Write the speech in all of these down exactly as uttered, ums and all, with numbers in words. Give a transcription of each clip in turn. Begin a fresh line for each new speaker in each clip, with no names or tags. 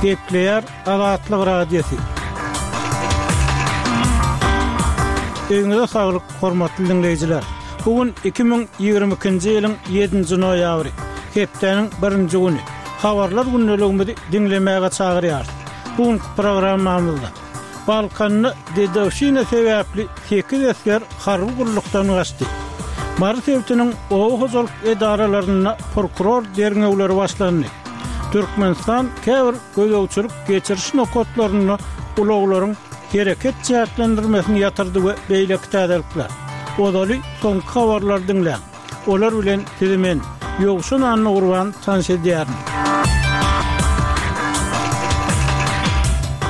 Gepleýär Azatlyk Radiosy. Öýüňize saglyk, hormatly diňleýjiler! Bu gün iki müň ýigrimi ikinji ýylyň ýedinji noýabry, hepdäniň birinji güni. Habarlar gündeligimizi diňlemäge çagyrýarys. Bu günki programmamyzda Balkanda dedowşina sebäpli sekiz esger harby gullukdan gaçdy. Mary sebitiniň oba hojalyk edaralarynda prokuror derňewleri başlandy. Türkmenistan käbir gözegçilik geçiriş nokatlarynda ulaglaryň hereket çäklendirmesini ýatyrdy we beýleki täzelikler. Ozaly soňky habarlary diňläň. Olar bilen sizi men, Ýowşan Annagurban tanyş edýärin.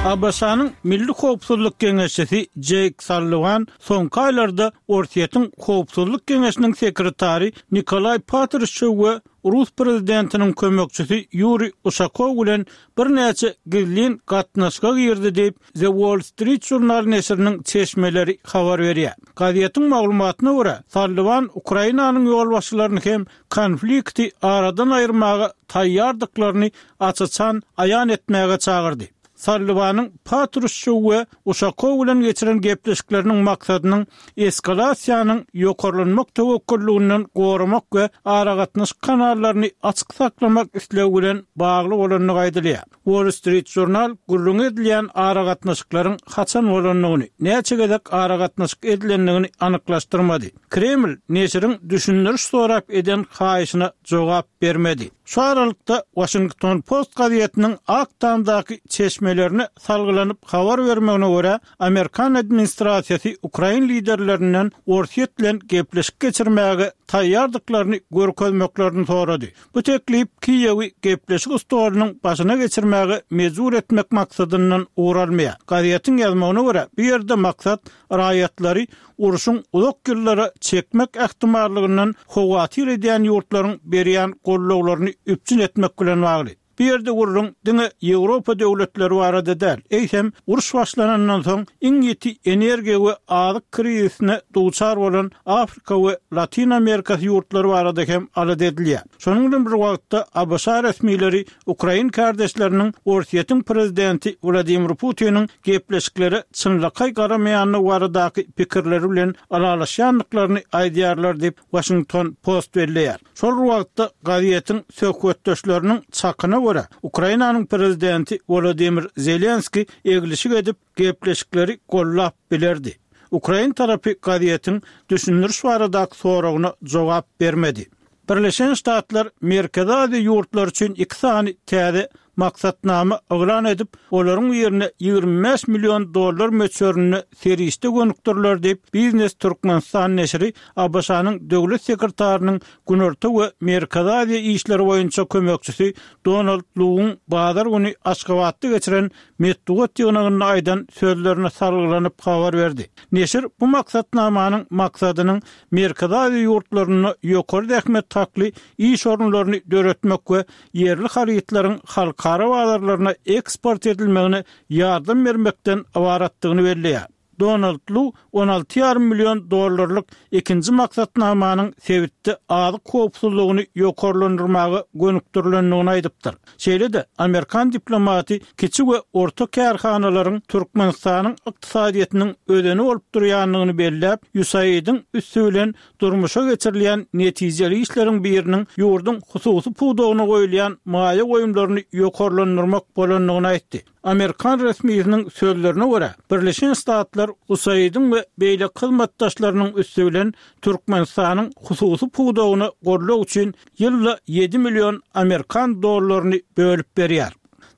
ABŞ-nyň Milli howpsuzlyk geňeşçisi Jeýk Salliwan soňky aýlarda Orsýetiň Howpsuzlyk geňeşiniň sekretary Nikolaý Patruşew we rus prezidentiniň kömekçisi Ýuriý Uşakow bilen birnäçe gizlin gatnaşyga girdi diýip, The Wall Street Journal neşiriniň çeşmeleri habar berýär. Gazetiň maglumatyna görä, Salliwan Ukrainanyň ýolbaşçylaryny hem konflikti aradan aýyrmaga taýýardyklaryny aç-açan aýan etmäge çagyrdy. Salliwanyň Patruşew we Uşakow bilen geçiren gepleşikleriniň maksadynyň eskalasiýanyň ýokarlanmak töwekgelliginden goramak we aragatnaşyk kanallaryny açyk saklamak islegi bilen bagly bolandygy aýdylýar. Wall Street Journal gürrüňi edilýän aragatnaşyklaryň haçan bolandygyny, näçe gezek aragatnaşyk edilendigini anyklaşdyrmady. Kreml neşiriň düşündiriş sorap eden haýyşyna jogap bermedi. Şu aralykda, Washington Post gazetiniň Ak Tamdaky çeşmelerine salgylanyp habar bermegine görä, amerikan administrasiýasy ukrain liderlerinden Orsýet bilen gepleşik geçirmäge taýýardyklaryny görkezmeklerini sorady. Bu teklip Kiýewi gepleşik stolunyň başyna geçirmäge mejbur etmek maksadyndan ugur almaýar. Gazetiň ýazmagyna görä, bu ýerde maksat raýatlary urşuň uzak ýyllara çekmek ähtimallygyndan howatyr edýän ýurtlaryň berýän gollawlaryny üpjün etmek bilen bagly. Bu ýerde gürrüň diňe Ýewropa döwletleri barada däl, eýsem, uruş başlanandan soň iň ýiti energiýa we azyk krizisine duçar bolan Afrika we Latyn Amerikasy ýurtlary barada hem alada edilýär. Şonuň bilen bir wagtda, ABŞ resmileri ukrain kärdeşleriniň Orsýetiň prezidenti Wladimir Putiniň gepleşiklere çynlakaý garamaýandygy baradaky pikirleri bilen ylalaşýandyklaryny aýdýarlar diýip, Washington Post belleýär. Şol bir wagtda, gazetiň söhbetdeşleriniň çakyna görä, Ukrainanyň prezidenti Wolodymyr Zelenskiý eglişik edip, gepleşikleri gollap bilerdi. Ukrain tarapy gazetiň düşündiriş baradaky soragyna jogap bermedi. Birleşen Ştatlar Merkezi Aziýa ýurtlary üçin iki sany täze maksatnama yglan edip, olaryň birine ýigrimi bäş million dollar möçberinde serişde gönükdiriler diýip, Biznes Türkmenistan neşiri ABŞ-nyň Döwlet sekretarynyň Günorta we Merkezi Aziýa işleri boýunça kömekçisi Donald Luwyň bazar güni Aşgabatda geçiren metbugat ýygnagynda aýdan sözlerine salgylanyp habar berdi. Neşir bu maksatnamanyň maksadynyň Merkezi Aziýa ýurtlarynda ýokary zähmet hakly iş orunlaryny döretmek we ýerli harytlaryň halkara bazarlaryna eksport edilmegine ýardam bermekden ybaratdygyny belleýär. Donald Lu on alty ýarym million dollarlyk ikinji maksatnamanyň sebitde azyk howpsuzlygyny ýokarlandyrmaga gönükdirilendigini aýdypdyr. Şeýle-de, amerikan diplomaty kiçi we orta kärhanalaryň Türkmenistanyň ykdysadyýetiniň özeni bolup durýandygyny belläp, USAID-iň üsti bilen durmuşa geçirilýän netijeli işleriň biriniň ýurduň hususy pudagyna goýulýan maýa goýumlaryny ýokarlandyrmak bolandygyny aýtdy. Amerikan resmisiniň sözlerine görä, Birleşen Ştatlar USAID-iň we beýleki hyzmatdaşlarynyň üsti bilen Türkmenistanyň hususy pudagyna goldaw üçin ýylda ýedi million amerikan dollaryny bölüp berýär.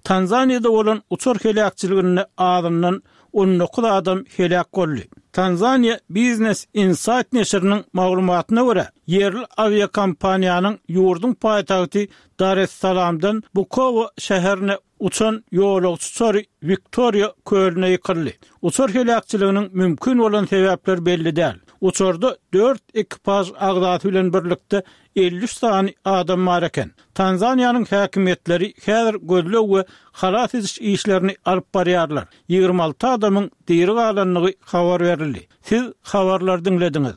Tanzaniýada bolan uçar heläkçiliginde azyndan on dokuz adam heläk boldy. Tanzaniýa Business Insight neşiriniň maglumatyna görä, ýerli awiakompaniýanyň ýurduň paýtagty Dar-es-Salamdan Bukowa şäherine uçan ýolagçy uçary Wiktoriýa kölüne ýykyldy. Uçar heläkçiliginiň mümkin bolan sebäpleri belli däl. Uçarda dört ekipaž agzasy bilen birlikde elli üç sany adam bar eken. Tanzaniýanyň häkimiýetleri häzir gözleg we halas ediş işlerini alyp barýarlar. Ýigrimi alty adamyň diri galandygy habar berildi. Siz habarlary diňlediňiz.